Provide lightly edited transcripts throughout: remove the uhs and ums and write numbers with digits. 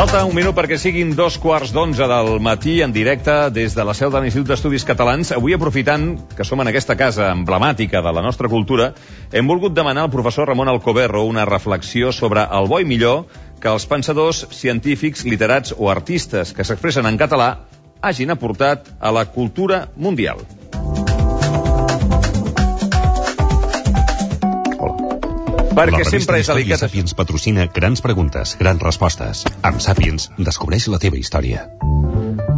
Falta un minut perquè siguin 2:15 del matí en directe des de la seu de l'Institut d'Estudis Catalans. Avui, aprofitant que som en aquesta casa emblemàtica de la nostra cultura, hem volgut demanar al professor Ramon Alcoberro una reflexió sobre el bo i millor que els pensadors, científics, literats o artistes que s'expressen en català hagin aportat a la cultura mundial. Perquè sempre és delicat. Sàpiens patrocina grans preguntes, grans respostes. Amb Sàpiens, descobreix la teva història.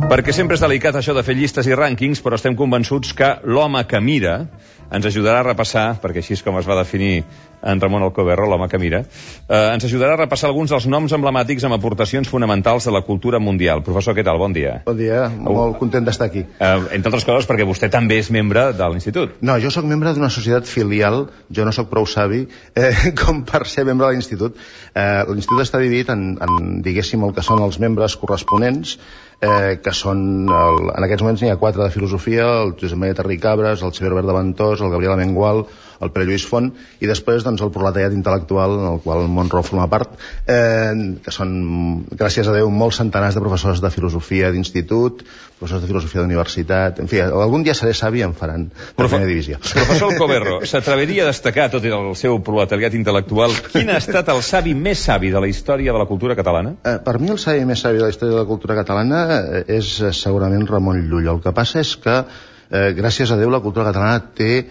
Perquè sempre és delicat això de fer llistes i rànquings, però estem convençuts que l'home que mira ens ajudarà a repassar, perquè així és com es va definir en Ramon Alcoberro, l'home que mira, ens ajudarà a repassar alguns dels noms emblemàtics amb aportacions fonamentals de la cultura mundial. Professor, què tal? Bon dia. Bon dia, molt content d'estar aquí. Entre altres coses perquè vostè també és membre de l'Institut. No, jo sóc membre d'una societat filial, jo no sóc prou savi com per ser membre de l'Institut. L'Institut està dividit en, diguéssim, el que són els membres corresponents, que són, en aquests moments n'hi ha 4 de filosofia, el Josep Maria Terricabres, el Xavier Albert de Ventós, el Gabriel Amengual, el Pere Lluís Font, i després doncs, el proletariat intel·lectual, en el qual el Monroe forma part, que són, gràcies a Déu, molts centenars de professors de filosofia d'institut, professors de filosofia d'universitat, en fi, algun dia seré savi i em faran de primera divisió. Professor Alcoberro, s'atreviria a destacar, tot i el seu proletariat intel·lectual, quin ha estat el savi més savi de la història de la cultura catalana? Per mi el savi més savi de la història de la cultura catalana és segurament Ramon Llull. El que passa és que, gràcies a Déu, la cultura catalana té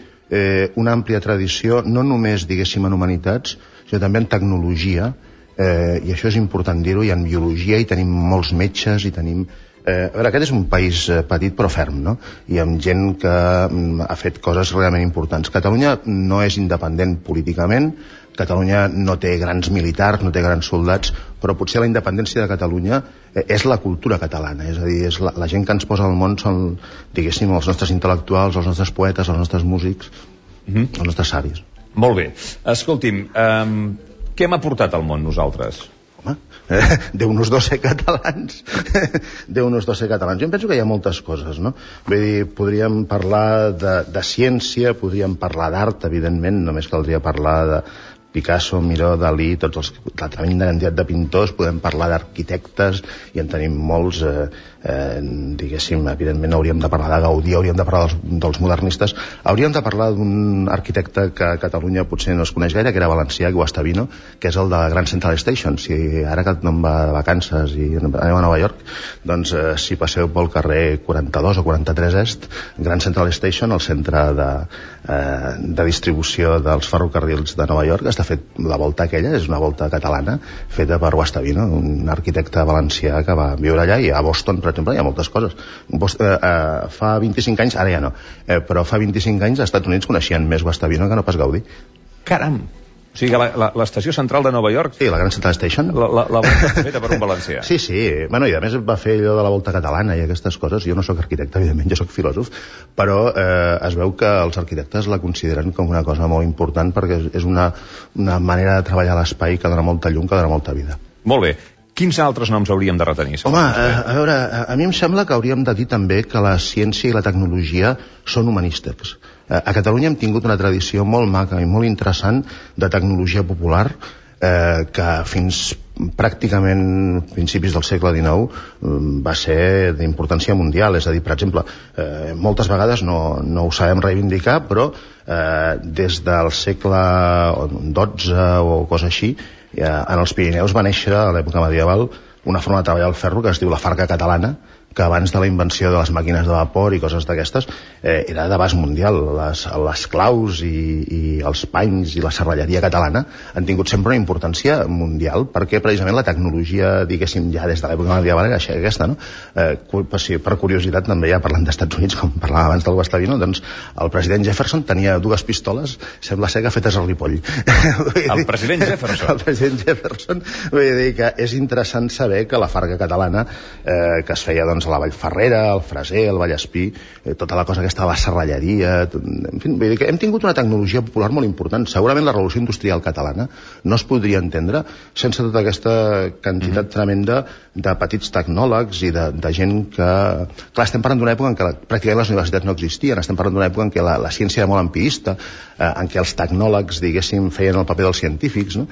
una àmplia tradició, no només, diguéssim, en humanitats, sinó també en tecnologia, i això és important dir-ho, i en biologia, i tenim molts metges, i tenim... A veure, aquest és un país petit però ferm, no? I amb gent que ha fet coses realment importants. Catalunya no és independent políticament, Catalunya no té grans militars, no té grans soldats, però potser la independència de Catalunya és la cultura catalana, és a dir, és la gent que ens posa al món són, diguéssim, els nostres intel·lectuals, els nostres poetes, els nostres músics, els nostres savis. Molt bé. Escolti'm, què hem aportat al món nosaltres? Home, Déu-nos do ser catalans. Déu-nos do ser catalans. Jo em penso que hi ha moltes coses, no? Vull dir, podríem parlar de ciència, podríem parlar d'art, evidentment, només caldria parlar de Picasso, Miró, Dalí, la tremenda quantitat de pintors, podem parlar d'arquitectes, i en tenim molts, diguéssim, evidentment hauríem de parlar de Gaudí, hauríem de parlar dels modernistes, hauríem de parlar d'un arquitecte que a Catalunya potser no es coneix gaire, que era valencià, Guastavino, que és el de Grand Central Station. Si ara que no em va de vacances i anem a Nova York, doncs si passeu pel carrer 42 o 43 Est, Grand Central Station, el centre de distribució dels ferrocarrils de Nova York, està fet la volta aquella, és una volta catalana feta per Guastavino, un arquitecte valencià que va viure allà, i a Boston, per exemple, hi ha moltes coses. Fa 25 anys, ara ja no, però fa 25 anys als Estats Units coneixien més Guastavino que no pas Gaudí. Caram! O sigui que l'estació central de Nova York... Sí, la Grand Central Station. La volta feta per un valencià. Sí. Bueno, i a més va fer allò de la volta catalana i aquestes coses. Jo no sóc arquitecte, evidentment, jo sóc filòsof, però es veu que els arquitectes la consideren com una cosa molt important perquè és una manera de treballar l'espai que dona molta llum, que dona molta vida. Molt bé. Quins altres noms hauríem de retenir? Home, a veure, a mi em sembla que hauríem de dir també que la ciència i la tecnologia són humanístics. A Catalunya hem tingut una tradició molt maca i molt interessant de tecnologia popular que fins pràcticament principis del segle XIX va ser d'importància mundial. És a dir, per exemple, moltes vegades no ho sabem reivindicar, però des del segle XII o cosa així, en els Pirineus va néixer a l'època medieval una forma de treballar el ferro que es diu la farga catalana, que abans de la invenció de les màquines de vapor i coses d'aquestes era d'abast mundial. Les claus i els panys i la serralleria catalana han tingut sempre una importància mundial, perquè precisament la tecnologia, diguéssim, ja des de l'època medieval era aquesta, no? Per curiositat, també, ja parlant d'Estats Units, com parlàvem abans del Guastavino, doncs el president Jefferson tenia 2 pistoles, sembla ser que fetes al Ripoll. El president Jefferson? El president Jefferson. Vull dir que és interessant saber que la farga catalana, que es feia, doncs, a la Vallferrera, al Freser, al Vallespí, tota la cosa aquesta de la serralleria, en fi, vull dir que hem tingut una tecnologia popular molt important. Segurament la revolució industrial catalana no es podria entendre sense tota aquesta quantitat tremenda de petits tecnòlegs i de gent que... Clar, estem parlant d'una època en què pràcticament les universitats no existien, estem parlant d'una època en què la ciència era molt empirista, en què els tecnòlegs, diguéssim, feien el paper dels científics, no?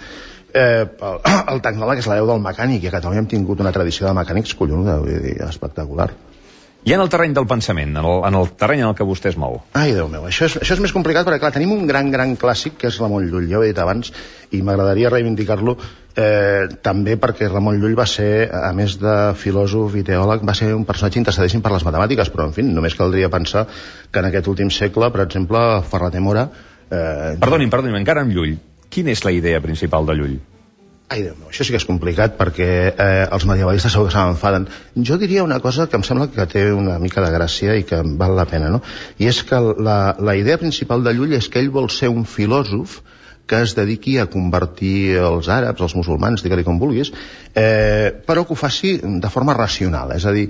el tecnòleg és l'hereu del mecànic, i a Catalunya hem tingut una tradició de mecànics collonuda, vull dir, espectacular. I en el terreny del pensament, en el terreny en el que vostè es mou? Ai, Déu meu, això és més complicat perquè, clar, tenim un gran clàssic que és Ramon Llull, ja ho he dit abans, i m'agradaria reivindicar-lo també perquè Ramon Llull va ser, a més de filòsof i teòleg, va ser un personatge interessadíssim per les matemàtiques, però, en fi, només caldria pensar que en aquest últim segle, per exemple, Ferrater Mora... Perdoni'm, encara amb Llull, quina és la idea principal de Llull? Ai, Déu meu, això sí que és complicat perquè els medievalistes segur que se m'enfaden. Jo diria una cosa que em sembla que té una mica de gràcia i que val la pena, no? I és que la idea principal de Llull és que ell vol ser un filòsof que es dediqui a convertir els àrabs, els musulmans, digue-li com vulguis, però que ho faci de forma racional, és a dir,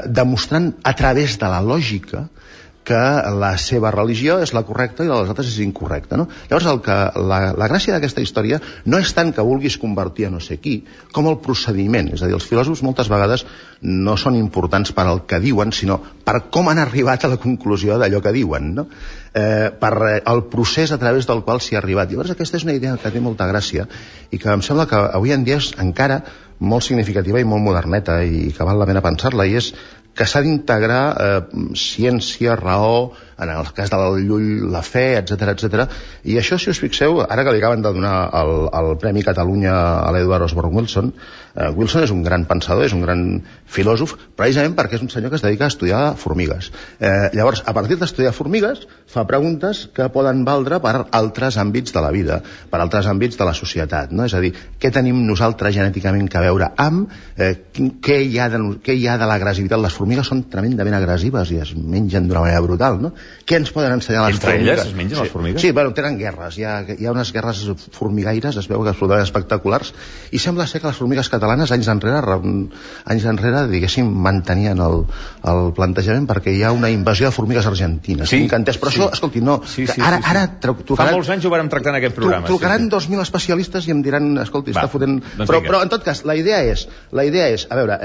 demostrant a través de la lògica que la seva religió és la correcta i la dels altres és incorrecta, no? Llavors, la gràcia d'aquesta història no és tant que vulguis convertir a no sé qui, com el procediment. És a dir, els filòsofs moltes vegades no són importants per al que diuen, sinó per com han arribat a la conclusió d'allò que diuen, no? Per el procés a través del qual s'hi ha arribat. Llavors, aquesta és una idea que té molta gràcia i que em sembla que avui en dia és encara molt significativa i molt moderneta i que val la pena pensar-la, i és que s'ha d'integrar ciència, raó, en el cas del Llull, la fe, etc. I això, si us fixeu, ara que li acaben de donar el Premi Catalunya a l'Edward Osborne Wilson, Wilson és un gran pensador, és un gran filòsof, precisament perquè és un senyor que es dedica a estudiar formigues. Llavors, a partir d'estudiar formigues, fa preguntes que poden valdre per altres àmbits de la vida, per altres àmbits de la societat, no? És a dir, què tenim nosaltres genèticament que veure amb, què hi ha de l'agressivitat? Les formigues són tremendament agressives i es mengen d'una manera brutal, no? Què ens poden ensenyar les formigues? Entre elles es mengen les formigues? Sí, bueno, tenen guerres, hi ha unes guerres formigaires, es veu que absolutament espectaculars, i sembla ser que les formigues catalanes anys enrere, diguéssim, mantenien el plantejament perquè hi ha una invasió de formigues argentines. Sí, però això, escolti, no, ara fa molts anys ho vàrem tractar en aquest programa. Trucaran 2.000 especialistes i em diran, escolti, està fotent... Però en tot cas, la idea és, a veure,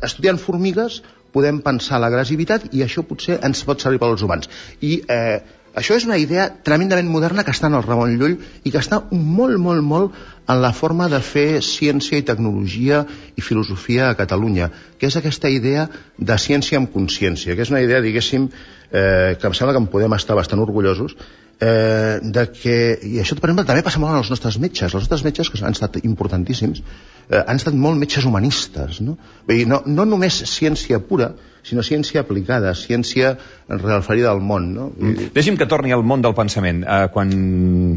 estudiant formigues podem pensar l'agressivitat i això potser ens pot servir pels humans. I això és una idea tremendament moderna que està en el Ramon Llull i que està molt en la forma de fer ciència i tecnologia i filosofia a Catalunya, que és aquesta idea de ciència amb consciència, que és una idea, diguéssim, que em sembla que en podem estar bastant orgullosos, i això, per exemple, també passa molt als nostres metges. Els nostres metges, que han estat importantíssims, han estat molt metges humanistes, no? Vull dir, no només ciència pura, sinó ciència aplicada, ciència referida al món, no? Deixi'm que torni al món del pensament. Quan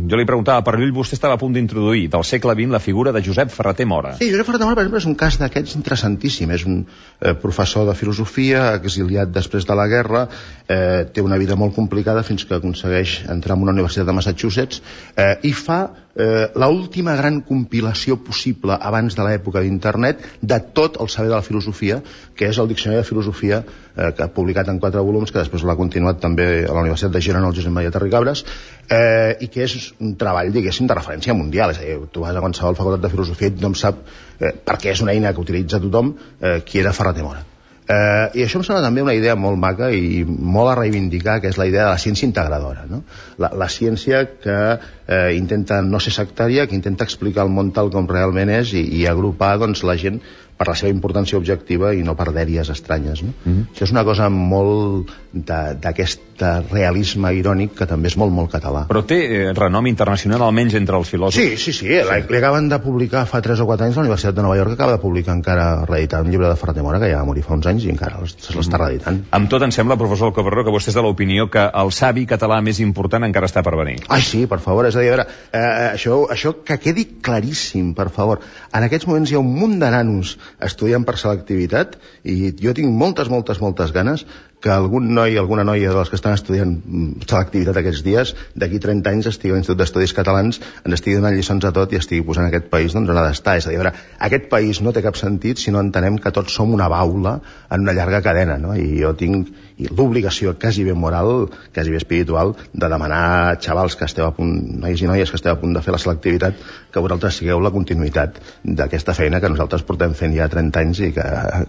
jo li preguntava per Llull, vostè estava a punt d'introduir del segle XX la figura de Josep Ferrater Mora. Sí, Josep Ferrater Mora, per exemple, és un cas d'aquests interessantíssim. És un professor de filosofia, exiliat després de la guerra, té una vida molt complicada fins que aconsegueix entrar en una universitat de Massachusetts i fa l'última gran compilació possible abans de l'època d'internet de tot el saber de la filosofia, que és el Diccionari de Filosofia, que ha publicat en 4 volums, que després l'ha continuat també a la Universitat de Girona, el Josep Maria Terricabras, i que és un treball, diguéssim, de referència mundial. És a dir, tu vas a qualsevol facultat de filosofia i tothom sap, perquè és una eina que utilitza tothom, qui era Ferrater Mora. I això em sembla també una idea molt maca i molt a reivindicar, que és la idea de la ciència integradora, no? La ciència que intenta no ser sectària, que intenta explicar el món tal com realment és i agrupar, doncs, la gent per la seva importància objectiva i no per dèries estranyes, no? Això és una cosa molt d'aquest realisme irònic que també és molt català. Però té renom internacional, almenys entre els filòsofs? Sí. Li acaben de publicar fa 3 o 4 anys la Universitat de Nova York, acaba de publicar encara reeditar un llibre de Ferrater Mora, que ja va morir fa uns anys i encara se l'està reeditant. Amb tot, em sembla, professor Alcoberro, que vostè és de l'opinió que el savi català més important encara està per venir. Ai, sí, per favor, és a dir, a veure, això que quedi claríssim, per favor. En aquests moments hi ha un munt de nanos estudiant per selectivitat i jo tinc moltes ganes que algun noi, alguna noia dels que estan estudiant selectivitat aquests dies, d'aquí 30 anys estigui a l'Institut d'Estudis Catalans, ens estigui donant lliçons a tot i estigui posant aquest país on ha d'estar. És a dir, a veure, aquest país no té cap sentit si no entenem que tots som una baula en una llarga cadena, no? I jo tinc l'obligació quasi bé moral, quasi bé espiritual, de demanar a xavals que esteu a punt, nois i noies que esteu a punt de fer la selectivitat, que vosaltres sigueu la continuïtat d'aquesta feina que nosaltres portem fent ja 30 anys i que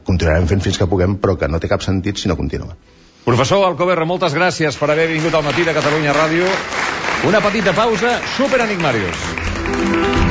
continuarem fent fins que puguem, però que no té cap sentit si no continua. Professor Alcoberro, moltes gràcies per haver vingut al Matí de Catalunya Ràdio. Una petita pausa, Super Enigmarius.